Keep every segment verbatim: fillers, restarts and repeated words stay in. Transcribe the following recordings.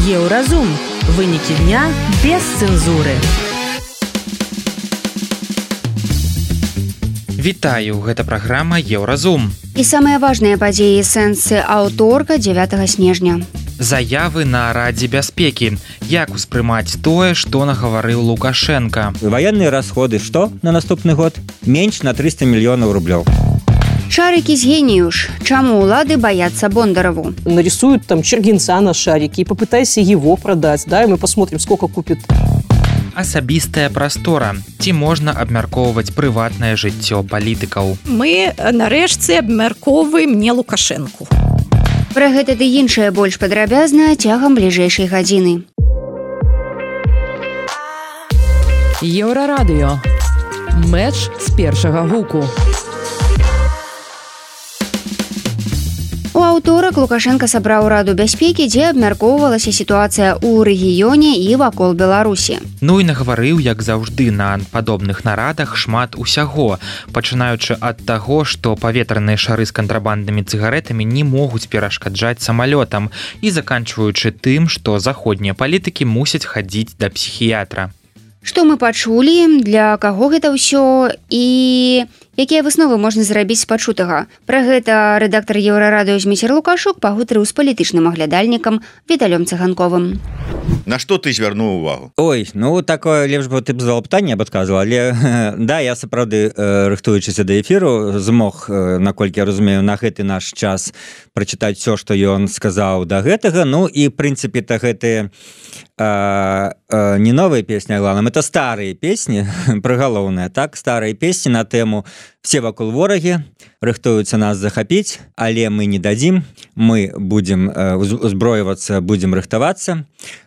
Еўразум. Вынікі дня без цэнзуры. Вітаю, гэта праграма Еўразум. І самыя важныя падзеі сэнсы аўторка дзевятага снежня. Заявы на Радзе бяспекі. Як успрымаць тое, што нагаварыў Лукашенко? Военные расходы што на наступны год? Менш на триста миллионов рублёў. Шарики с гениюш. Чему улады боятся Бондарову? Нарисуют там Чергинца на шарике и попытайся его продать, да, и мы посмотрим, сколько купит. Асабістая прастора. Ці можна абмяркоўваць прыватнае жыццё палітыкаў? Мы, нарэшце, абмяркоўваем не Лукашэнку. Пра гэта ды іншае больш падрабязна цягам бліжэйшай гадзіны. Еўрарадыё. Мэч з першага гуку. У аўторак Лукашенко сабраў Раду бяспекі, дзе абмяркоўвалася сітуацыя ў рэгіёне і вакол Беларусі. Ну і нагаварыў, як заўжды, на падобных нарадах шмат усяго, пачынаючы ад таго, што паветраныя шары з кантрабанднымі цыгарэтамі не могуць перашкаджаць самалётам, і заканчваючы тым, што заходнія палітыкі мусяць хадзіць да псіхіятра. Што мы пачулі, для каго гэта ўсё і якія высновы можна зрабіць з пачутага? Пра гэта рэдактар Еўрарадыё Зміцер Лукашук пагутарыў з палітычным аглядальнікам Віталём Цыганковым. На што ты звярнуў увагу? Ой, ну такое лепш бы ты б задал пытанне, я б адказваў, але да, я сапраўды, рыхтуючыся да эфіру, змог, наколькі я разумею, на гэты наш час прачытаць все, што ён сказаў да гэтага. Ну і прынцыпе-то гэтыя а, а, не новыя песні, а главным, это старыя песні, прыгалоўныя, так, старыя песні на тэму «Все вакол ворагі, рыхтуюцца нас захапіць, але мы не дадзім, мы будзем узброівацца, будзем рыхтавацца».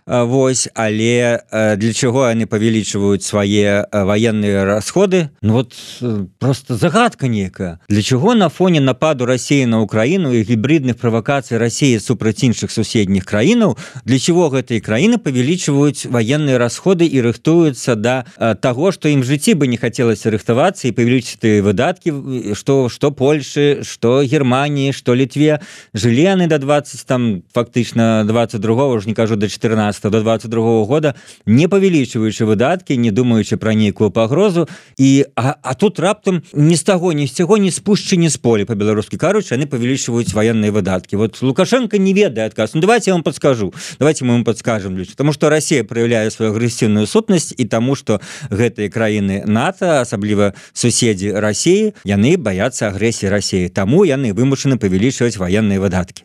Вось, але для чаго яны павялічваюць свае военные расходы? Ну вот просто загадка некая. Для чаго на фоне нападу России на Украину и гибридных провокаций России супраць іншых суседніх краінаў, для чаго гэтыя краіны павялічваюць военные расходы и рыхтуюцца да таго, што ім в жыцці бы не хацелася рыхтавацца и павялічыць выдаткі, што, што Польшы, што Германии, што Літве. Жылі яны до двадцать, там, фактычна двадцать другого, уже не кажу, до четырнадцатого, до двадцать другого года, не павялічваючы выдаткі, не думаючы пра нейкую пагрозу, і а, а тут раптам ні з таго, ні з цяго, ні з пушчы, ні з поля, па-беларускі кажучы, яны павялічваюць военные выдаткі. Вот Лукашенко не ведае адказ. Ну давайте я вам подскажу. Давайте мы вам подскажем, потому что Россия проявляе свою агрэсіўную сутнасць, і таму што гэтыя краіны НАТО, асабліва суседзі России, яны баяцца агрэсіі России. Таму яны вымушаны павялічваць военные выдаткі.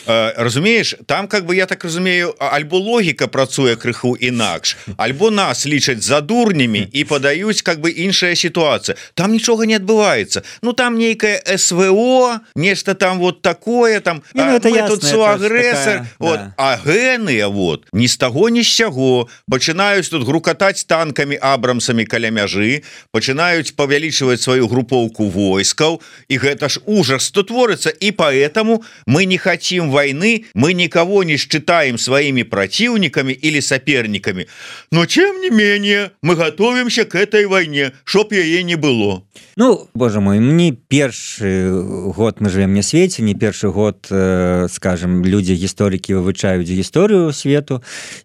Э, разумееш, там, как бы я так разумею, альбо логіка працуе крыху інакш, альбо нас лічаць за дурнямі і падаюць как бы іншая сітуацыя. Там нічога не адбываецца. Ну там нейкае СВО, нешта там вот такое, там не, ну, а, мы ясна, тут суагрэсар, вот, да. А гэныя вот ні з таго, ні з сяго пачынаюць тут грукатаць танкамі, абрамсамі каля мяжы, пачынаюць павялічваць сваю групоўку войскаў, і гэта ж ужас, што творыцца, і поэтому мы не хотим войны, мы никого не считаем своими противниками или соперниками, но тем не менее мы готовимся к этой войне, чтоб яе не было. Ну, боже мой, не першы год мы живем на свеце, не першы год, э, скажем, людзі гісторыкі вывучаюць гісторыю свету,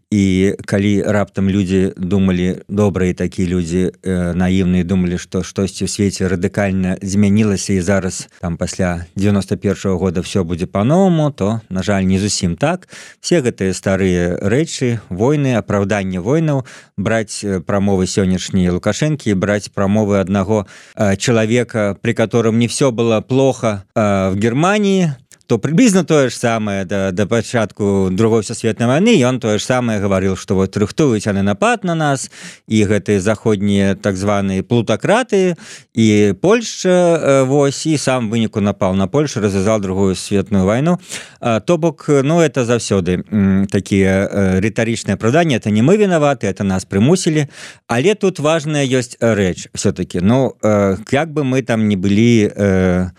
і калі раптам людзі думалі, добрыя такія людзі, э, наіўныя, думалі, што штосьці ў свеце радыкальна змянілася і зараз там пасля девяносто первого года все будзе по-новому, то, на жаль, не зусім так. Все гэтыя старыя рэчы, войны, апраўданне войнаў, браць прамовы сённяшнія Лукашэнкі, браць прамовы аднаго э, человека, при котором не все было плохо э, в Германии, то приблизно то же самое до, до пачатку другой сусветнай войны, и он то же самое говорил, что вот рыхтуюць яны напад на нас, и гэтые заходние так званые плутократы, и Польша, вось, и сам выніку напал на Польшу, развязал другую сусветную войну. То бок, ну, это заўсёды такие ритаричные оправдания, это не мы виноваты, это нас примусили, але тут важная ёсць рэч все-таки. Ну, как бы мы там ни были,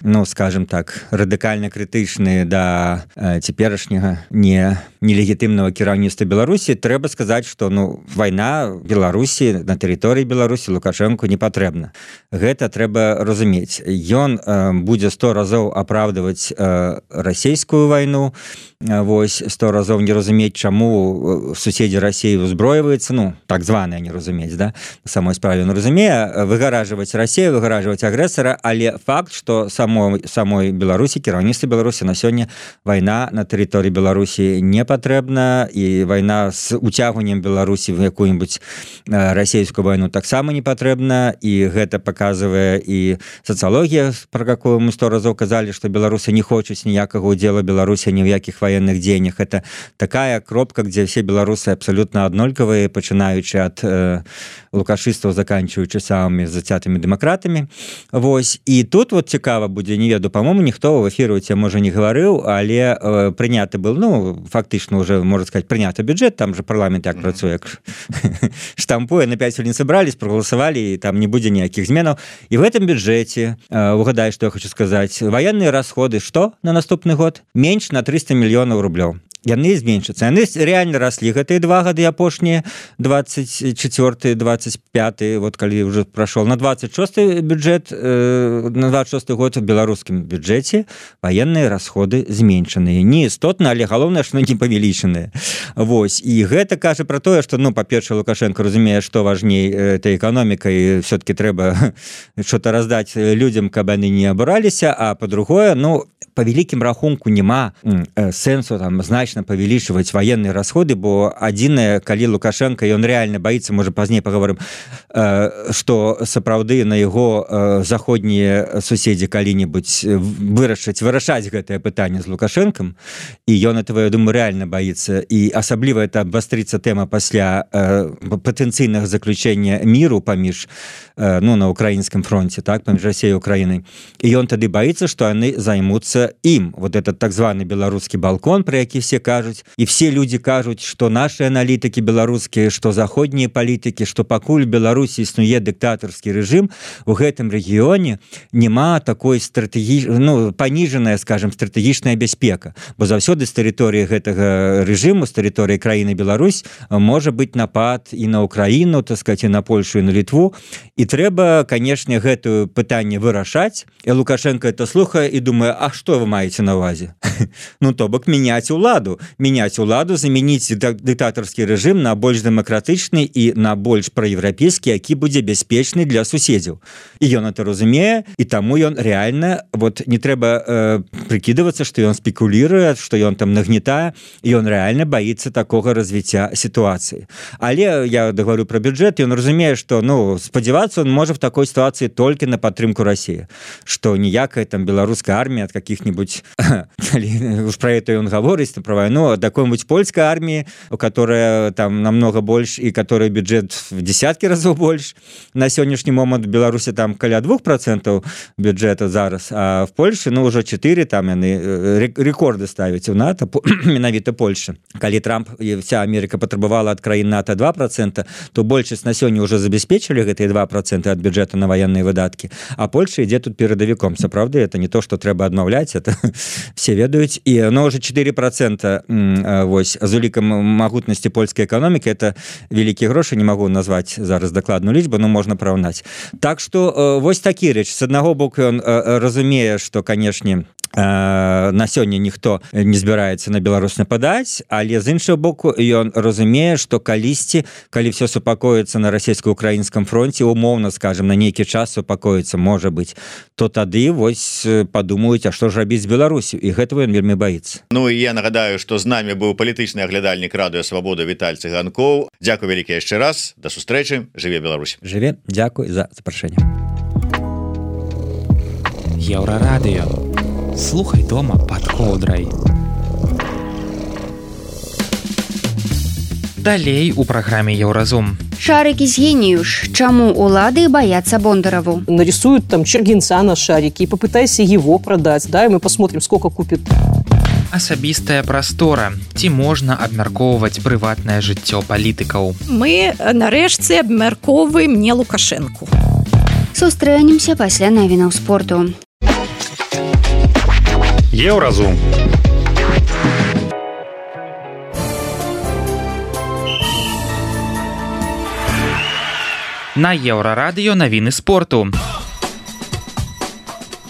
ну, скажем так, радикально критичны крытычны да цяперашняга не нелегітымнага кіраўніцтва Беларусі, трэба сказаць, што ну вайна Беларусі на тэрыторыі Беларусі Лукашэнку не патрэбна. Гэта трэба разумець. Ён э, будзе сто разоў апраўдваць э, расійскую вайну, вось сто разоў не разумець, чаму суседзі Расіі узброіваюцца, ну так званыя не разумець, да, на самой справе он разумее, выгаражваць Расію, выгаражваць агрэсара, але факт, што самой самой Беларусі, кіраўніцтва Беларусі на сёння вайна на тэрыторыі Беларусі не патрэбна, і вайна з уцягваннем Беларусі в якую-нибудь расійскую вайну таксама не патрэбна, і гэта паказвае і сацыялогія, пра якую мы сто разоў казалі, што беларусы не хочуць ніякага удзела Беларусі ні ў якіх военных дзеяннях. Это такая кропка, где все белорусы абсолютно однолькавые, пачынаючы ад э, лукашыстаў, заканчиваючы самыми зацятымі дэмакратамі. Вось. І тут вот цікава будзе, не веду, по-моему, ніхто в эфіру тебе, можа, не гаварыў, але э, прыняты был, ну, фактычна уже, можно сказать, прыняты бюджет, там же парламент як працуе, штампуе, на пять хвілін собрались, проголосовали, и там не будзе ніякіх зменаў. И в этом бюджете, э, угадай, что я хочу сказать, военные расходы, что на наступны год? Меньше на триста миллионов рублёў. Яны зменшацца. Яны реально росли гэтыя два гады апошнія, двадцать четвёрты двадцать пяты, вот калі уже прошел на двадцать шесты бюджет, э, на двадцать шесты год в беларускім бюджете военные расходы зменшаныя. Не істотна, але галоўнае, што не павялічаныя. Вось. І гэта кажа про тое, што, ну, па-першае, Лукашенко разумее, што важней этой эканомікай, все-таки трэба что-то раздаць людям, каб яны не абураліся, а по-другое, ну, по великім рахунку няма э, сэнсу там значна павялічваць военные расходы, бо адзінае, калі Лукашенко, ён реально боится, можа пазней паговорым, э, што сапраўды на яго э, заходнія суседзі калі-нибудь вырашаць вырашаць гэтае пытанне з Лукашенком, і ён этого, я думаю, реально боится, і асабліва это абвастрыцца тэма пасля э, патэнцыйнага заключення міру паміж э, ну, на украінскім фронте, так, паміж Расіяй і Украінай, і ён тады боится, што яны займуцца ім. Вот этот так званы беларускі балкон, про які все кажуць, і все люди кажуць, што наши аналітыкі беларускія, што заходнія палітыкі, што пакуль Беларусі існуе дыктатарскі рэжым, у гэтым рэгіёне няма такой стратегі... ну, паніжаная, скажем, стратэгічная бяспека, бо заўсёды з тэрыторыі гэтага рэжыму, з тэрыторыі краіны Беларусь можа быць напад і на Украіну, так сказать, і на Польшу, і на Літву, і трэба, канешне, гэтую пытанне вырашаць. І Лукашенко это слухае і думае, а што вы маеце на увазе? Ну, то бок меняць уладу, меняць уладу, заменіць дыктатарскі рэжым на больш дэмакратычны і на больш праеўрапейскі, які будзе бяспечны для суседзяў. І ён это разумее, і таму ён реально, вот не трэба э, прыкідывацца, што ён спекулируе, што ён там нагнетае, і ён реально боится такога развіцця ситуации. Але я договорю про бюджет, ён разумее, што, ну, спадзявацца он можа в такой ситуации только на падтрымку России, што ніякая там беларуская армія ад каких-нибудь уж про это он говорит, про войну, от какой-нибудь польской армии, которая там намного больше и которая бюджет в десятки разов больше. На сегодняшний момент в Беларуси там каля двух процентов бюджета зараз, а в Польше, ну, уже четыре, там яны рекорды ставить у НАТО, менавіта Польша. Калі Трамп и вся Америка потребовала от краін НАТО два процента, то большасць на сёння уже забеспечили гэтые два процента от бюджета на военные выдатки, а Польша ідзе тут перадавіком. Сапраўды, это не то, что трэба адмаўляць, это все ведаюць, і оно уже четыре процента вось з улікам магутнасці польскай эканомікі, это вялікія грошы, не могу назваць зараз дакладную лічбу, но можна параўнаць. Так что вось такі рэч. С аднаго боку ён разумее, што, канешне, на сёння ніхто не збіраецца на Беларусь нападаць, але з іншага боку ён разумее, што калісьці, калі все супакоіцца на расійска-украінскім фронте, умоўна, скажем, на нейкі час супакоіцца, можа быць, то тады вось падумаюць, а што ж рабіць з Беларусю, і гэтага ён вельмі баіцца. Ну і я нагадаю, што з намі быў палітычны аглядальнік радыё Свабода Віталь Цыганкоў. Дзякуй вялікі яшчэ раз, да сустрэчы, жыве Беларусь. Жыве, дзякуй за запрашэнне. Еўрарадыё. Слухай дома под коўдрай. Далей у праграме Еўразум. Шарики с гениюш. Чему улады боятся Бондарову? Нарисуют там Чергинца на шарике и попытайся его продать, да, и мы посмотрим, сколько купит. Асабістая прастора. Ці можна абмяркоўваць прыватнае жыццё палітыкаў? Мы нарэшце абмяркоўваем не Лукашэнку. Сустрэнемся пасля навінаў спорту. Еўразум. На Еўрарадыё навіны спорту.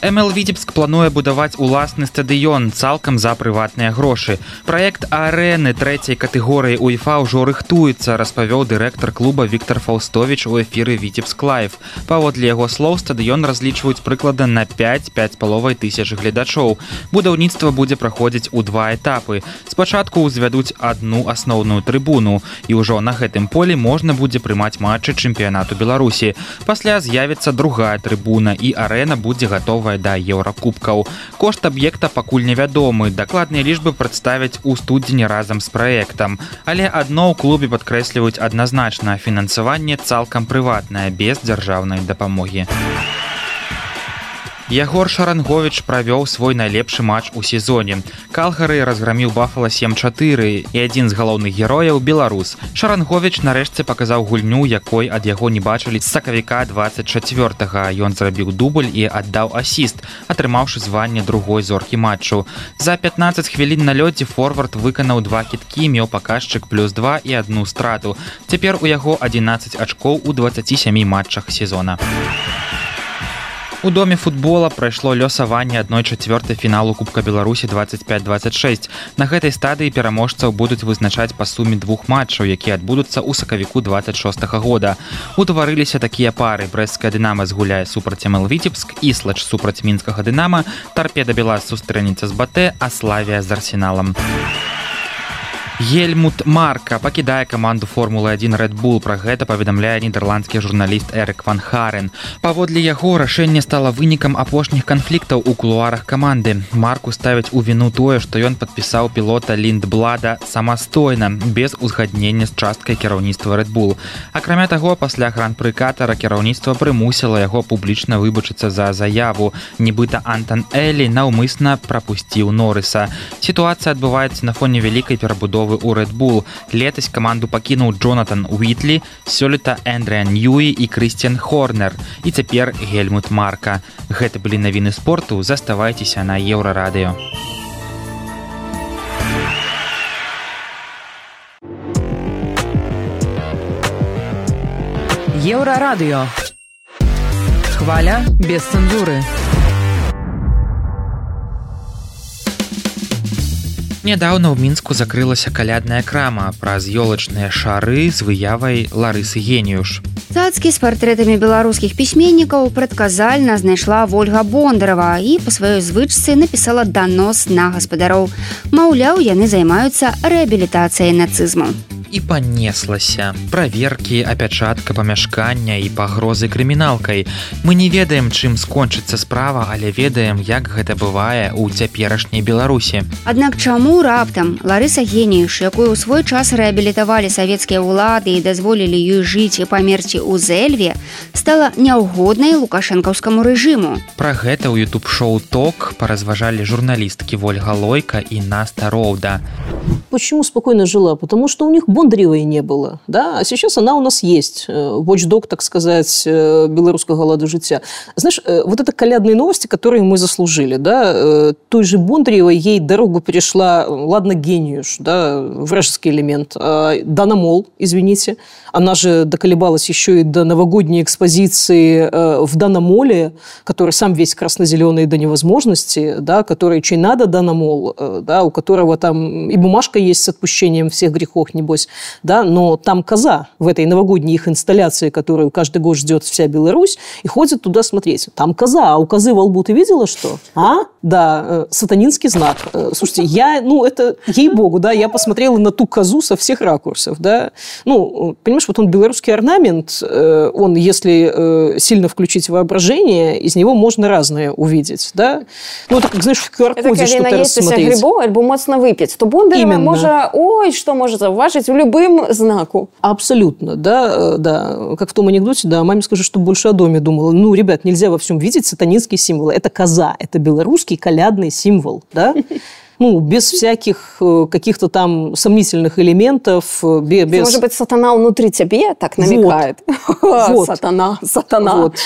эм эл Віцебск плануе будаваць уласны стадыён цалкам за прыватныя грошы. Праект арэны трэцяй катэгорыі УЕФА ўжо рыхтуецца, распавёў дырэктар клуба Віктор Фаўстовіч у эфіры Віцебск Лайв. Паводле яго слоў, стадыён разлічваюць прыкладна на пяць-пяць з паловай тысяч гледачоў. Будаўніцтва будзе праходзіць у два этапы. Спачатку ўзвядуць адну асноўную трыбуну, і ўжо на гэтым полі можна будзе прымаць матчы чэмпіянату Беларусі. Пасля з'явіцца другая трыбуна, і арэна будзе гатова да еўракубкаў. Кошт аб'екта пакуль невядомы. Дакладныя лічбы прадставяць у студзені разам з праектам. Але адно ў клубе падкрэсліваюць адназначна: фінансаванне цалкам прыватнае, без дзяржаўнай дапамогі. Ягор Шаранговіч правёў свой найлепшы матч у сезоне. Калгары разграміў Бафала сем чатыры, і адзін з галоўных герояў беларус. Шаранговіч нарэшце паказаў гульню, якой ад яго не бачылі з сакавіка дваццаць чацвёртага. Ён зрабіў дубль і аддаў асіст, атрымаўшы званне другой зоркі матчу. За пятнаццаць хвілін на лёдзе форвард выканаў два кідкі, меў паказчык плюс два і адну страту. Цяпер у яго адзінаццаць ачкоў у дваццаці сямі матчах сезона. У доме футбола прайшло лёсаванне адной чацвёртай фіналу Кубка Беларусі дваццаць пяць дваццаць шэсць. На гэтай стадыі пераможцаў будуць вызначаць па суме двух матчаў, якія адбудуцца ў сакавіку дваццаць шостага года. Утварыліся такія пары: брэсцкая Дынама згуляе супраць эм эл Віцебск, Іслач супраць мінскага Дынама, Тарпеда Белас сустрэнецца з Батэ, а Славія з Арсеналам. Гельмут Марка пакідае каманду Формулы адзін Red Bull. Пра гэта паведамляе нідерландскі журналіст Эрик Ван Харен. Паводле яго, рашэнне стала вынікам апошніх канфліктаў у кулуарах каманды. Марку ставяць у віну тое, што ён падпісаў пілота Ліндблада самастойна, без узгаднення з часткай кіраўніцтва Red Bull. Акрамя таго, пасля гран-пры Катара кіраўніцтва прымусіла яго публічна выбачыцца за заяву. Нібыта Антон Элі наўмысна прапусціў Норрыса. Сітуацыя адбываецца на фоне вялікай перабудовы у Red Bull. Летась каманду пакінуў Джонатан Уітлі, сёлета Эндрыан Ньюі і Крысціян Хорнер. І цяпер Гельмут Марка. Гэта былі навіны спорту. Заставайцеся на Еўрарадыё. Еўрарадыё. Хваля без цэнзуры. Нядаўна ў Мінску закрылася калядная крама праз ёлачныя шары з выявай Ларысы Геніюш. Цацкі з партрэтамі беларускіх пісьменнікаў прадказальна знайшла Вольга Бондарова і па сваёй звычцы напісала данос на гаспадароў. Маўляў, яны займаюцца рэабілітацыяй нацызму. І панеслася. Праверкі, апячатка памяшкання і пагрозы крыміналкай. Мы не ведаем, чым скончыцца справа, але ведаем, як гэта бывае ў цяперашняй Беларусі. Аднак чаму раптам Ларыса Геніюш, якую ў свой час рэабілітавалі савецкія ўлады і дазволілі ёй жыць і памерці ў Зэльве, стала няўгоднай лукашэнкаўскаму рэжыму? Пра гэта ў ютуб-шоу «Ток» паразважалі журналісткі Вольга Лойка и Наста Роуда. Почему спокойно жила? Потому что у них Бондаревой не было. Да? А сейчас она у нас есть. Watchdog, так сказать, белорусского лада життя. Знаешь, вот это колядные новости, которые мы заслужили. Да? Той же Бондаревой ей дорогу перешла, ладно, Геніюш, да, вражеский элемент. А Дана Мол, извините, она же доколебалась еще и до новогодней экспозиции в Дана Моле, который сам весь красно-зеленый до невозможности, да, который чей надо Дана Мол, да, у которого там и бумажка есть с отпущением всех грехов, небось, да, но там коза в этой новогодней их инсталляции, которую каждый год ждет вся Беларусь, и ходит туда смотреть. Там коза, а у козы во лбу ты видела что? А? Да, сатанинский знак. Слушайте, я, ну, это, ей-богу, да, я посмотрела на ту козу со всех ракурсов, да. Ну, понимаешь, вот он белорусский орнамент, он, если сильно включить воображение, из него можно разное увидеть, да. Ну, это, как, знаешь, в ку ар-коде что-то рассмотреть. Грибов, альбо моцно выпить, то Бондарева може, ой, что может зауважить в любым знаку. Абсолютно, да, да. Как в том анекдоте, да, маме скажу, что больше о доме думала. Ну, ребят, нельзя во всем видеть сатанинские символы. Это коза, это белорусский колядный символ, да. ну, без всяких каких-то там сомнительных элементов. Без... Может быть, сатана внутри тебе так намекает? Вот. Вот. Сатана, сатана. Вот.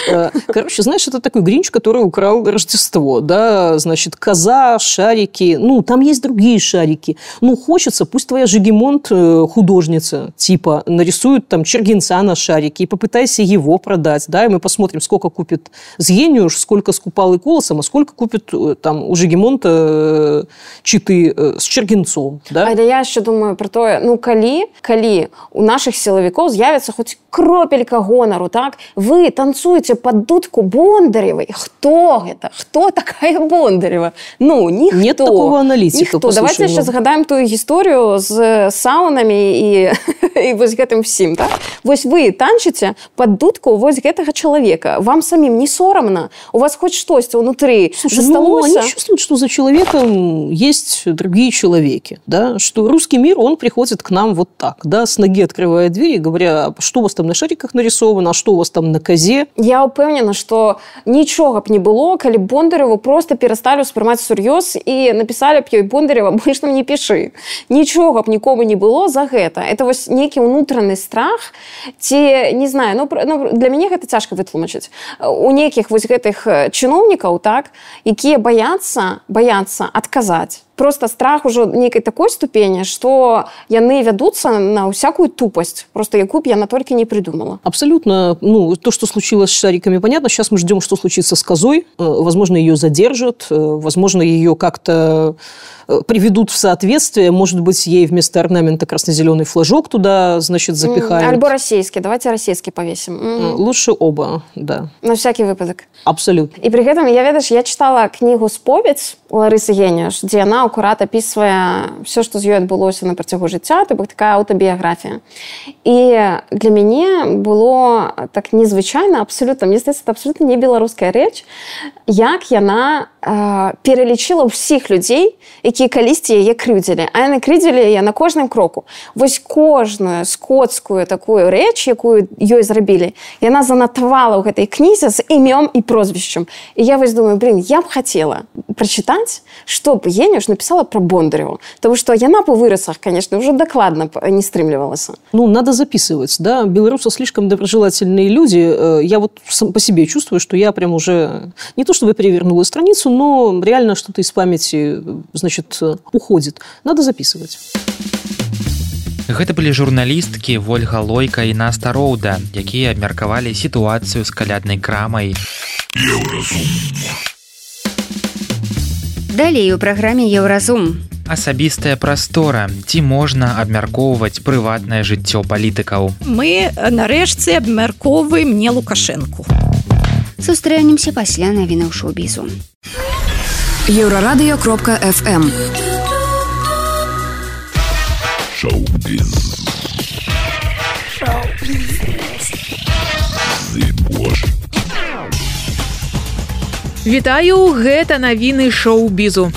Короче, знаешь, это такой Гринч, который украл Рождество, да, значит, коза, шарики, ну, там есть другие шарики. Ну, хочется, пусть твоя Жигемонт художница, типа, нарисует там Чергинца на шарике и попытайся его продать, да, и мы посмотрим, сколько купит Згениуш, сколько скупал и Колосом, а сколько купит там у Жигемонта читы с Чергинцом, да? А я еще думаю про то, ну, калі, калі у наших силовиков з'явится хоть кропелька гонору, так? Вы танцуете под дудку Бондаревой. Кто это? Кто такая Бондарева? Ну, никто. Нет такого аналитика. Никто. Давайте сейчас згадаем ту историю с саунами и, и вот этим всем, так? Вот вы танчите под дудку вот этого человека. Вам самим не соромно? У вас хоть что-то внутри Слушай, ну, они чувствуют, что за человеком есть другие человеки, да? Что русский мир, он приходит к нам вот так, да, с ноги открывая дверь и говоря, что у вас там на шариках нарисовано, а что у вас там на козе? Я упевнена, что ничего б не было, коли Бондареву просто перестали воспринимать всерьез и написали б ей Бондарева, больше нам не пиши. Ничего б никому не было за это. Это вот некий внутренний страх, те, не знаю, ну, ну для меня это тяжко вытлумачить. У неких вот этих чиновников, так, які боятся, боятся отказать. Просто страх уже некой такой ступени, что яны ведутся на всякую тупость, просто яку б яна только не придумала. Абсолютно. Ну, то, что случилось с шариками, понятно. Сейчас мы ждем, что случится с козой. Возможно, ее задержат, возможно, ее как-то приведут в соответствие. Может быть, ей вместо орнамента красно-зеленый флажок туда, значит, запихают. Альбо российский. Давайте российский повесим. Mm-hmm. Лучше оба, да. На всякий выпадок. Абсолютно. И при этом, я, ведаешь, я читала книгу «Споведь» Ларисы Гениуш, где она аккурат описывая все, что з ёй адбылося на працягу жыцця, то бок такая аўтабіяграфія. І для мяне было так незвычайна, абсолютно, мне здаецца, это абсолютно не беларуская рэч, як яна э, пералічыла ўсіх людзей, якія калісьці яе крыўдзілі. А яны крыўдзілі яе на кожным кроку. Вось кожную скотскую такую рэч, якую ёй зрабілі, яна занатавала ў гэтай кнізе з імём і прозвішчам. І я вось думаю, блин, я б хацела прачытаць, што б Гениуш написала про Бондареву. Потому что яна по выросах, конечно, уже докладно не стремливалась. Ну, надо записывать, да. Белорусы слишком доброжелательные люди. Я вот по себе чувствую, что я прям уже не то чтобы перевернула страницу, но реально что-то из памяти, значит, уходит. Надо записывать. Гэта былі журналісткі Вольга Лойка і Наста Роуда, якія абмеркавалі сітуацыю з каляднай крамай. Далей у праграме Еўразум. Асабістая прастора. Ці можна абмяркоўваць прыватнае жыццё палітыкаў? Мы нарэшце абмяркоўваем не Лукашэнку. Сустрэнемся пасля навінаў шоу-бізу. Еўрарадыё кропка эф эм. Шоу-біз. Шоу-біз. Зыбош. Вітаю, гэта навіны шоу-бізу.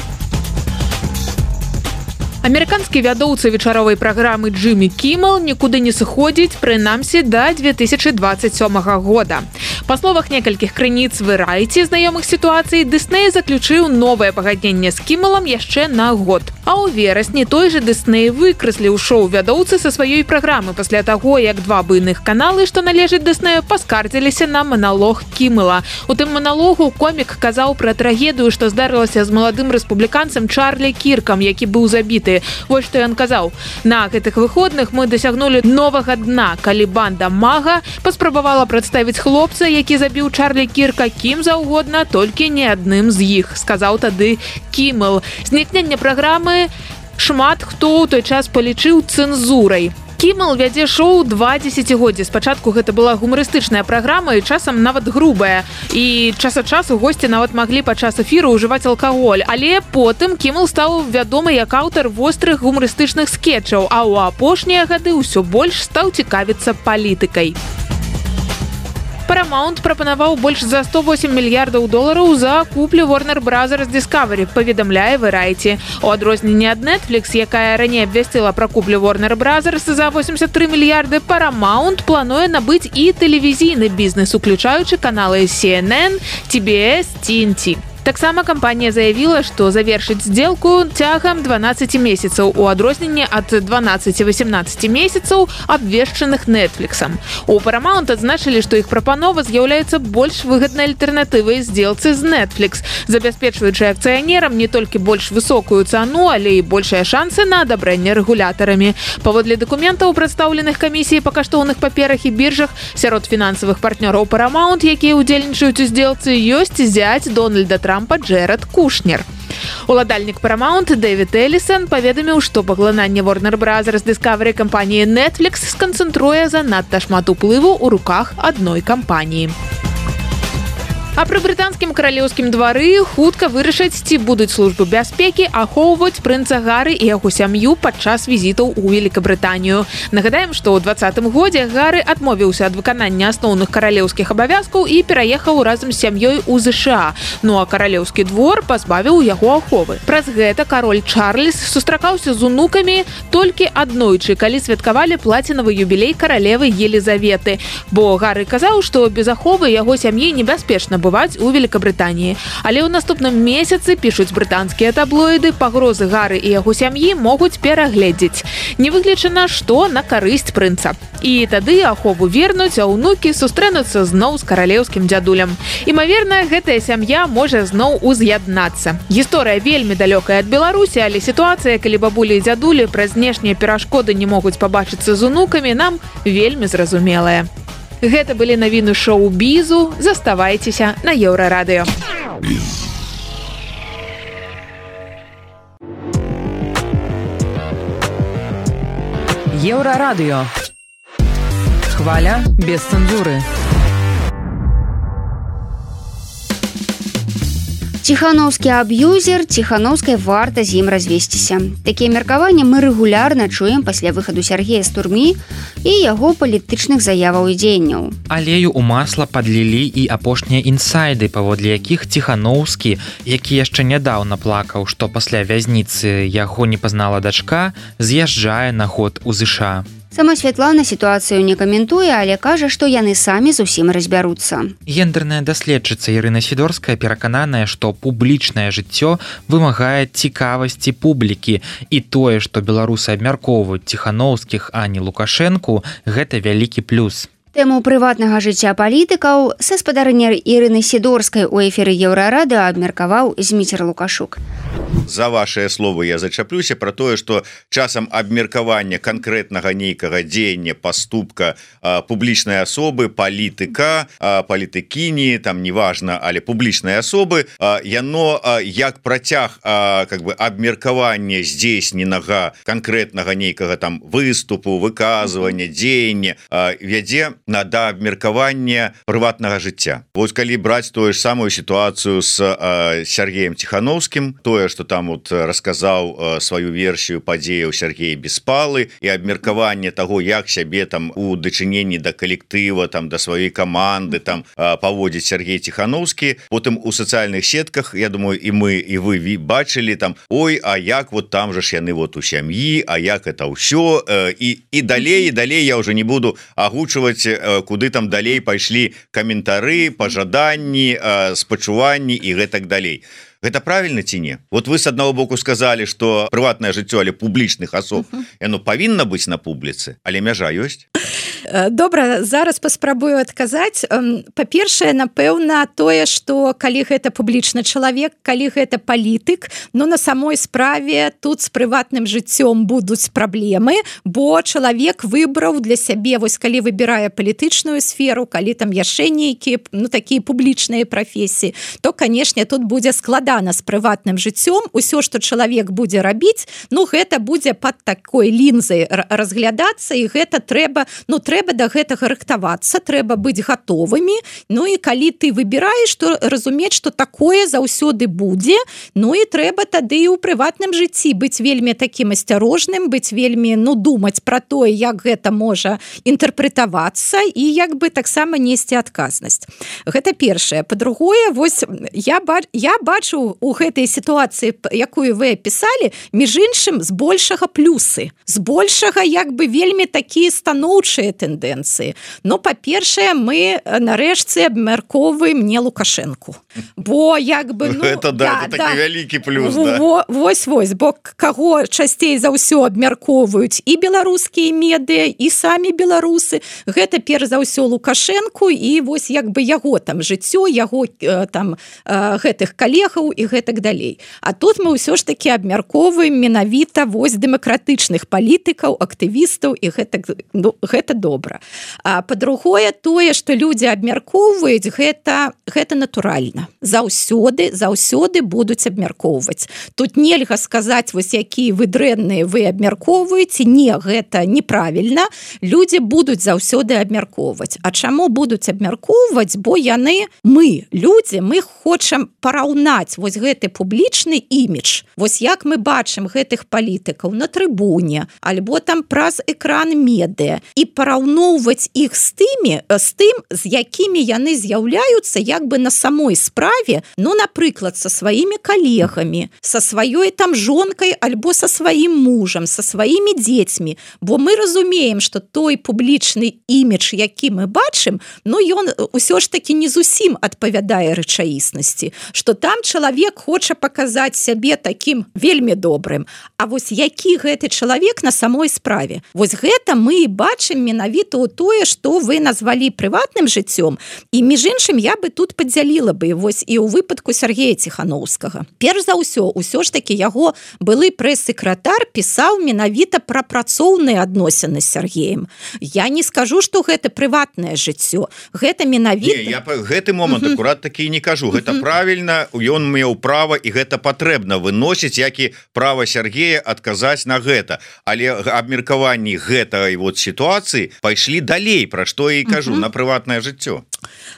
Амерыканскі вядоўца вечаровай праграмы Джиммі Кіммел нікуды не сыходзіць, прынамсі, да две тысячи двадцать сёмага года. Па словах некалькіх крыніц Variety, знаёмых сітуацый, Дысней заключыў новае пагадненне з Кіммелам яшчэ на год. А ў верасні той же Дысней выкрэсліў шоу вядоўцы са сваёй праграмы пасля таго, як два буйных каналы, што належаць Дыснею, паскардзіліся на маналог Кіммела. У тым маналогу комік казаў пра трагедыю, што здарылася з маладым рэспубліканцам Чарлі Кіркам, які быў забіты. Вось што ён казаў. На гэтых выходных мы дасягнулі новага дна, калі банда Мага паспрабавала прадставіць хлопца, які забіў Чарлі Кірка кім заўгодна, толькі не адным з іх, сказаў тады Кіммел. Знікненне праграмы шмат хто ў той час палічыў цэнзурай. Кіммел вядзе шоу два дзесяцігоддзі. Спачатку гэта была гумарыстычная праграма і часам нават грубая. І час ад часу госці нават маглі падчас эфіру ўжываць алкаголь. Але потым Кіммел стаў вядомы як аўтар вострых гумарыстычных скетчаў, а ў апошнія гады ўсё больш стаў цікавіцца палітыкай. Paramount прапанаваў больш за сто восемь мільярдаў долараў за куплю Warner Brothers Discovery, паведамляе Variety. У адрозненне ад Netflix, якая раней абвясціла пра куплю Warner Brothers за восемьдесят три мільярды, Paramount плануе набыць і тэлевізійны бізнес, уключаючы каналы си эн эн, ти би эс, ти эн ти. Таксама кампанія заявіла, што завершыць сделку цягам дванаццаць месяцаў у адрозненні ад дванаццаць-восемнаццаць месяцаў, абвешчаных Netflix'ам. У Paramount адзначылі, што іх прапанова з'яўляецца больш выгаднай альтэрнатывай здзелцы з Netflix, забяспечваючы акцыянерам не толькі больш высокую цану, але і большыя шансы на адабрэнне рэгулятарамі. Паводле дакументаў, прадстаўленых камісіяй па каштоўных паперах і біржах, сярод фінансавых партнёраў Paramount, якія ўдзельнічаюць у здзелцы, ёсць зяць Дональда Трампа Джэрад Кушнер. Уладальнік Paramount Дэвід Элісон паведаміў, што паглынанне Warner Brothers Discovery кампаніі Netflix сканцэнтруе занадта шмат уплыву ў руках адной кампаніі. А пры брытанскім каралеўскім двары хутка вырашаць, ці будуць службы бяспекі ахоўваць прынца Гары і яго сям'ю падчас візітаў у Великабрытанію. Нагадаем, што ў двадцатым годзе Гары адмовіўся ад выканання асноўных каралеўскіх абавязкаў і пераехаў разам з сям'ёй у ЗША. Ну а каралеўскі двор пазбавіў яго аховы. Праз гэта кароль Чарльз сустракаўся з унукамі толькі аднойчы, калі святкавалі плацінавы юбілей каралевы Елізаветы. Бо Гары казаў, што без аховы яго сям'і небяспечна бываць у Великабрытаніі. Але ў наступным месяцы, пішуць брытанскія таблоіды, пагрозы Гары і яго сям'і могуць перагледзець. Не выключана, што на карысць прынца. І тады ахову вернуць, а ўнукі сустрэнуцца зноў з каралеўскім дзядулем. Імаверна, гэтая сям'я можа зноў уз'яднацца. Гісторыя вельмі далёкая ад Беларусі, але сітуацыя, калі бабулі і дзядулі праз знешнія перашкоды не могуць пабачыцца з унукамі, нам вельмі зразумелая. Гэта былі навіны шоу-бізу. Заставайцеся на Еўрарадыё. Еўрарадыё. Хваля без цэнзуры. Ціхановскі аб'юзер, ціхановскай варта з ім развесціся. Такія меркаванні мы рэгулярна чуем пасля выхаду Сяргея з турмы і яго палітычных заяваў і дзеянняў. Алею ў масла падлілі і апошнія інсайды, паводле якіх Ціхановскі, які яшчэ нядаўна плакаў, што пасля вязніцы яго не пазнала дачка, з'язджае на год у ЗША. Сама Святлана сітуацыю не каментуе, але кажа, што яны самі зусім разбяруцца. Гендерная даследчыца Ірына Сідорская перакананая, што публічнае жыццё вымагае цікавасці публікі, і тое, што беларусы абмяркоўваюць Ціхановскіх, а не Лукашэнку, гэта вялікі плюс. Тэму прыватнага жыцця палітыкаў са спадарня Ірыны Сідорскай у эфіры Еўрарадыё абмеркаваў Зміцер Лукашук. За вашыя словы я зачаплюся про тое, што часам абмеркавання канкрэтнага нейкага дзеяння, паступка а, публічнай асобы, палітыка, а, палітыкіні, там неважна, але публічнай асобы, а, яно а, як працяг а, как бы абмеркавання здзейсненага канкрэтнага нейкага там выступу, выказвання, дзеяння а, вядзе на да абмеркавання прыватнага жыцця. Вось калі браць тую ж самую сітуацыю з а, Сергеем Ціхановскім, тое, што там вот расказаў сваю версію падзеяў Сергей Беспалы і абмеркаванне таго, як сябе там у дачыненні да калектыва, там да сваёй каманды там паводзіць Сергей Ціхановскі. Потым у сацыяльных сетках, я думаю, і мы і вы бачылі там: ой, а як вот там же ж яны вот у сям'і, а як это ўсё, і і далей і далей я уже не буду агучваць, куды там далей пайшлі каментары, пажаданні, спачуванні і гэтак далей. Гэта правильно ці не? Вот вы с аднаго боку сказали, что прыватнае жыццё, але публічных асоб, яно павінна быць на публіцы, але мяжа ёсць? Добра, зараз паспрабую адказаць. Па-першае, напэўна, тое, што калі гэта публічны чалавек, калі гэта палітык, ну на самой справе тут з прыватным жыццём будуць праблемы, бо чалавек выбраў для сябе, вось калі выбірае палітычную сферу, калі там яшчэ нейкія, ну такія публічныя прафесіі, то, канешне, тут будзе складана з прыватным жыццём. Усё, што чалавек будзе рабіць, ну гэта будзе пад такой лінзай разглядацца, і гэта трэба, ну трэба трэба да гэтага рыхтавацца, трэба быць гатовымі. Ну і калі ты выбіраеш, то разумець, што такое заўсёды будзе. Ну і трэба тады і ў прыватным жыцці быць вельмі такім асцярожным, быць вельмі, ну, думаць пра тое, як гэта можа інтэрпрэтавацца і як бы таксама несці адказнасць. Гэта першае. Па-другое, вось я, ба- я бачу у гэтай сітуацыі, якую вы апісалі, між іншым, збольшага плюсы. Збольшага як бы вельмі такія станоўчыя тэндэнцыі. Ну, па-першае, мы нарэшце абмяркоўваем не Лукашэнку. Бо як бы... Ну, это да, это такі вялікі плюс, да. Вось-вось, бо каго часцей за ўсё абмяркоўваюць і беларускія медыа, і самі беларусы. Гэта перш за ўсё Лукашэнку, і вось як бы яго там жыццё, яго там гэтых калегаў і гэтак далей. А тут мы ўсё ж такі абмяркоўваем менавіта вось дэмакратычных палітыкаў, актывістаў, і гэта, ну, гэта добра. А па-другое, тое, што людзі абмяркоўваюць, гэта, гэта натуральна. Заўсёды, заўсёды будуць абмяркоўваць. Тут нельга сказаць, вось якія вы дрэнныя вы абмяркоўваеце. Не, гэта неправільна. Людзі будуць заўсёды абмяркоўваць. А чаму будуць абмяркоўваць? Бо яны, мы, людзі, мы хочам параўнаць вось гэты публічны імідж. Вось як мы бачым гэтых палітыкаў на трыбуне, альбо там праз экран медыа, і параўноўваць іх з тымі, з тым, з якімі яны з'яўляюцца як бы на самой справе, ну, напрыклад, са сваімі калегамі, са сваёй там жонкай альбо са сваім мужам, са сваімі дзецьмі. Бо мы разумеем, што той публічны імідж, які мы бачым, ну, ён усё ж такі не зусім адпавядае рэчаіснасці, што там чалавек хоча паказаць сябе такім вельмі добрым. А вось які гэты чалавек на самой справе? Вось гэта мы бачым менавіта ў тое, што вы назвалі прыватным жыццём. І між іншым я бы тут падзяліла бы вось і ў выпадку Сергея Ціханаўскага. Перш за ўсё, усё ж такі яго былы прэс-сакратар пісаў менавіта пра працоўныя адносіны з Сергеем. Я не скажу, што гэта прыватнае жыццё. Гэта менавіта... Не, я па гэты момант uh-huh. акурат такі не кажу. Гэта uh-huh. правільна, ён меў права, і гэта патрэбна выносіць, як і права Сергея адказаць на гэта. Але абмеркаванні гэтай вот сітуацыі пайшлі далей, пра што я і кажу, uh-huh. на прыватнае жыццё.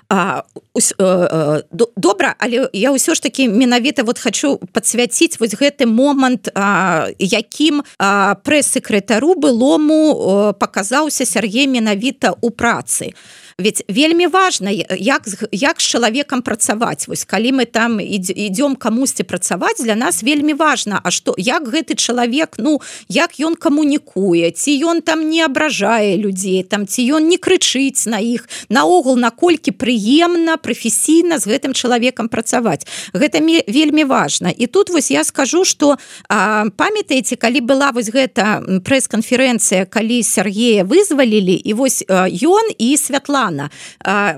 А, ус, э, э, добра, але я ўсё ж такі менавіта вот хочу падсвяціць вось гэты момант, а, якім а, прэс-сакратару былому а, паказаўся Сергей менавіта ў працы. Ведь вельмі важна, як, як з чалавекам працаваць. Вось калі мы там ідём камусьці працаваць, для нас вельмі важна, а што, як гэты чалавек, ну, як ён камунікуе, ці ён там не абражае людзей, там, ці ён не крычыць на іх, наогул, наколькі прыемна, прафесійна з гэтым чалавекам працаваць. Гэта вельмі важна. І тут вось я скажу, што а, памятаеце, калі была вось гэта прэс-канферэнцыя, калі Сергея вызвалілі, і вось а, ён і Святлана,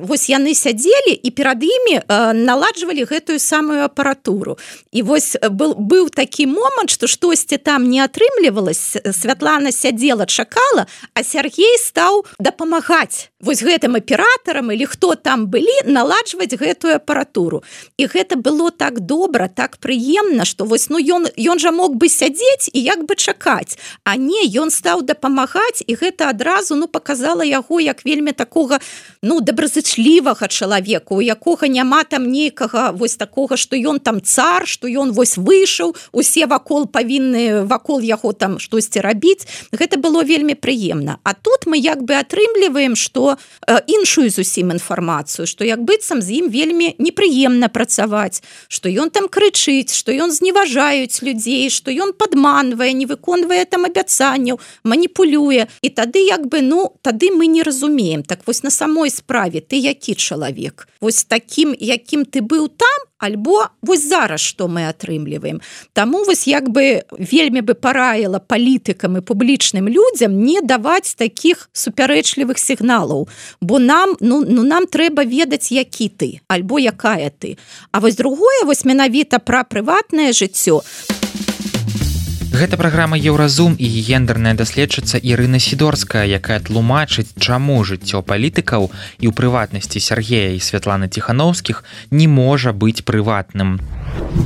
вось яны сядзелі і перад імі наладжвалі гэтую самую апаратуру. І вось был, быў такі момант, што штосьці там не атрымлівалась, Святлана сядзела, чакала, а Сергей стаў дапамагаць вось гэтым аператарам или хто там былі, наладжваць гэтую апаратуру. І гэта было так добра, так прыемна, што вось, ну, ён, ён жа мог бы сядзець і як бы чакаць, а не, ён стаў дапамагаць, і гэта адразу, ну, паказала яго як вельмі такога, ну, добразычлівага чалавека, у якога няма там нейкага вось такога, што ён там цар, што ён вось выйшаў, усе вакол павінны вакол яго там штосьці рабіць. Гэта было вельмі прыемна. А тут мы як бы атрымліваем, што э, іншую зусім інфармацыю, што як быццам з ім вельмі непрыемна працаваць, што ён там крычыць, што ён зневажаюць людзей, што ён падманвае, не выконвае там абяцанняў, маніпулюе. І тады як бы, ну, тады мы не разумеем. Так вось на самой справе ты які чалавек? Вось такім, якім ты быў там, альбо вось зараз што мы атрымліваем. Таму вось як бы вельмі бы параіла палітыкам і публічным людзям не даваць такіх супярэчлівых сігналаў, бо нам, ну, ну, нам трэба ведаць, які ты, альбо якая ты. А вось другое, вось менавіта пра прыватнае жыццё. Гэта праграма Еўразум і гендерная даследчыца Ірына Сідорская, якая тлумачыць, чаму жыццё палітыкаў і ў прыватнасці Сергея і Святланы Ціханаўскіх не можа быць прыватным.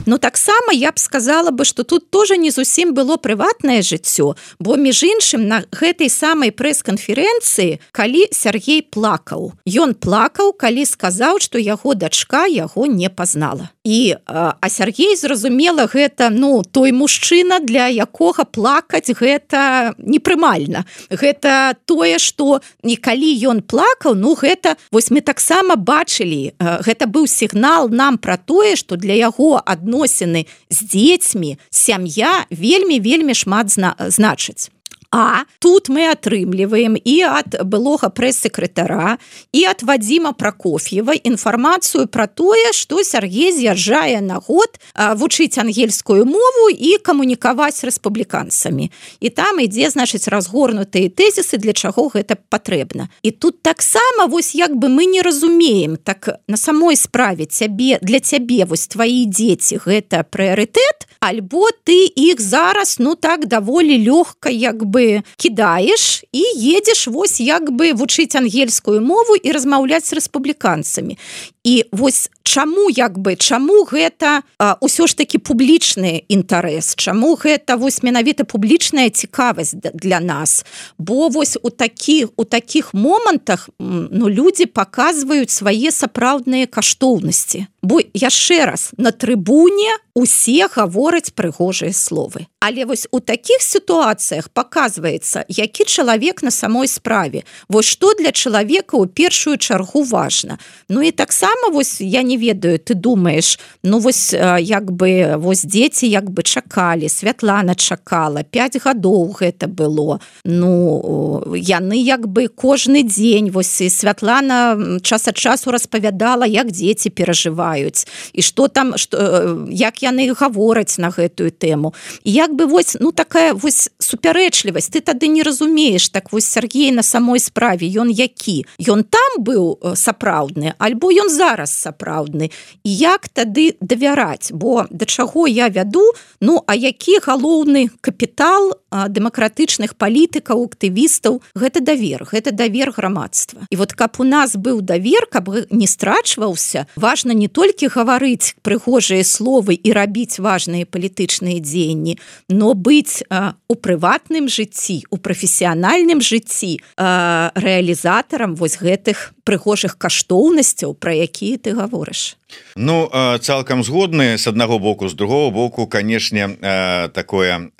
Ну, таксама я б сказала бы, што тут тоже не зусім было прыватнае жыццё, бо між іншым на гэтай самай прэс-канферэнцыі, калі Сергей плакаў. Ён плакаў, калі сказаў, што яго дачка яго не пазнала. І, а Сергей, зразумела, гэта, ну, той мужчына, для якога плакаць гэта непрымальна. Гэта тое, што і калі ён плакаў, ну, гэта, вось мы таксама бачылі, гэта быў сігнал нам пра тое, што для яго адносіны з дзецьмі, сям'я вельмі-вельмі шмат зна- значыць. А тут мы атрымліваем і ад былога прэс-сакратара і ад Вадзіма Пракоф'ева інфармацыю пра тое, што Сяргей з'язджае на год вучыць ангельскую мову і камунікаваць з рэспубліканцамі. І там ідзе, значыць, разгорнутыя тэзісы, для чаго гэта патрэбна. І тут таксама вось як бы мы не разумеем, так на самой справе цябе, для цябе вось твои дзеці гэта прыярытэт, альбо ты іх зараз ну так даволі лёгка як бы кідаеш і едзеш вось як бы вучыць ангельскую мову і размаўляць з рэспубліканцамі. І вось чаму як бы чаму гэта а, ўсё ж таки публічны інтарэс, чаму гэта вось менавіта публічная цікавасць для нас, бо вось у такіх у такіх момантах ну людзі паказваюць свае сапраўдныя каштоўнасці. Бо яшчэ раз на трыбуне усе гавораць прыгожыя словы. Але вось у такіх сітуацыях паказваецца, які чалавек на самой справе. Вось што для чалавека ў першую чаргу важна. Ну і таксама вось я не ведаю, ты думаеш, ну вось як бы вось дзеці як бы чакалі, Святлана чакала, пяць гадоў гэта было. Ну яны як бы кожны дзень вось і Святлана час ад часу распавядала, як дзеці перажываюць і што там што, як яны гавораць на гэтую тэму. І як бы вось ну такая вось супярэчлівасць, ты тады не разумееш, так вось Сяргей на самой справе ён які? Ён там быў сапраўдны, альбо ён зараз сапраўдны. І як тады давяраць? Бо да чаго я вяду? Ну, а які галоўны капітал дэмакратычных палітыкаў, актывістаў? Гэта давер, гэта давер грамадства. І вот каб у нас быў давер, каб не страчваўся, важна не толькі гаварыць прыгожыя словы і рабіць важныя палітычныя дзеянні, но быць а, у прыватным жыцці, у прафесіянальным жыцці а, рэалізатарам вось гэтых прыгожых каштоўнасцяў, пра якія ты гаворыш. Ну, цалкам згодны з аднаго боку, з другого боку, канешне, такое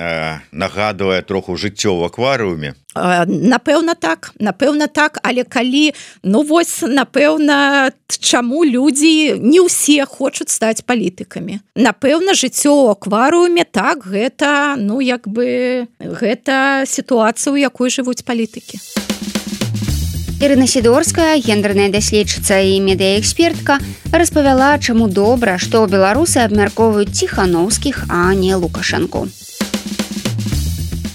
нагадвае троху жыццё ў акварыуме. Напэўна так, напэўна так, але калі, ну вось, напэўна, чаму людзі не ўсе хочуць стаць палітыкамі. Напэўна, жыццё ў акварыуме, так, гэта, ну, як бы, гэта сітуацыя, у якой жывуць палітыкі. Ірына Сідорская, гендерная даследчыца і медыаэкспертка, распавяла, чаму добра, што беларусы абмяркоўваюць Ціханаўскіх, а не Лукашэнку.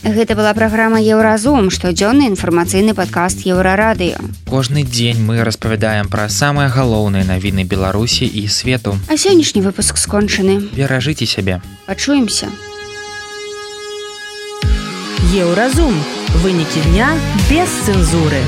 Гэта была праграма «Еўразум», штодзённы інфармацыйны падкаст Еўрарадыё. Кожны дзень мы распавядаем пра самыя галоўныя навіны Беларусі і свету. А сённяшні выпуск скончаны. Беражыце сябе. Пачуемся. Еўразум. Вынікі дня без цэнзуры.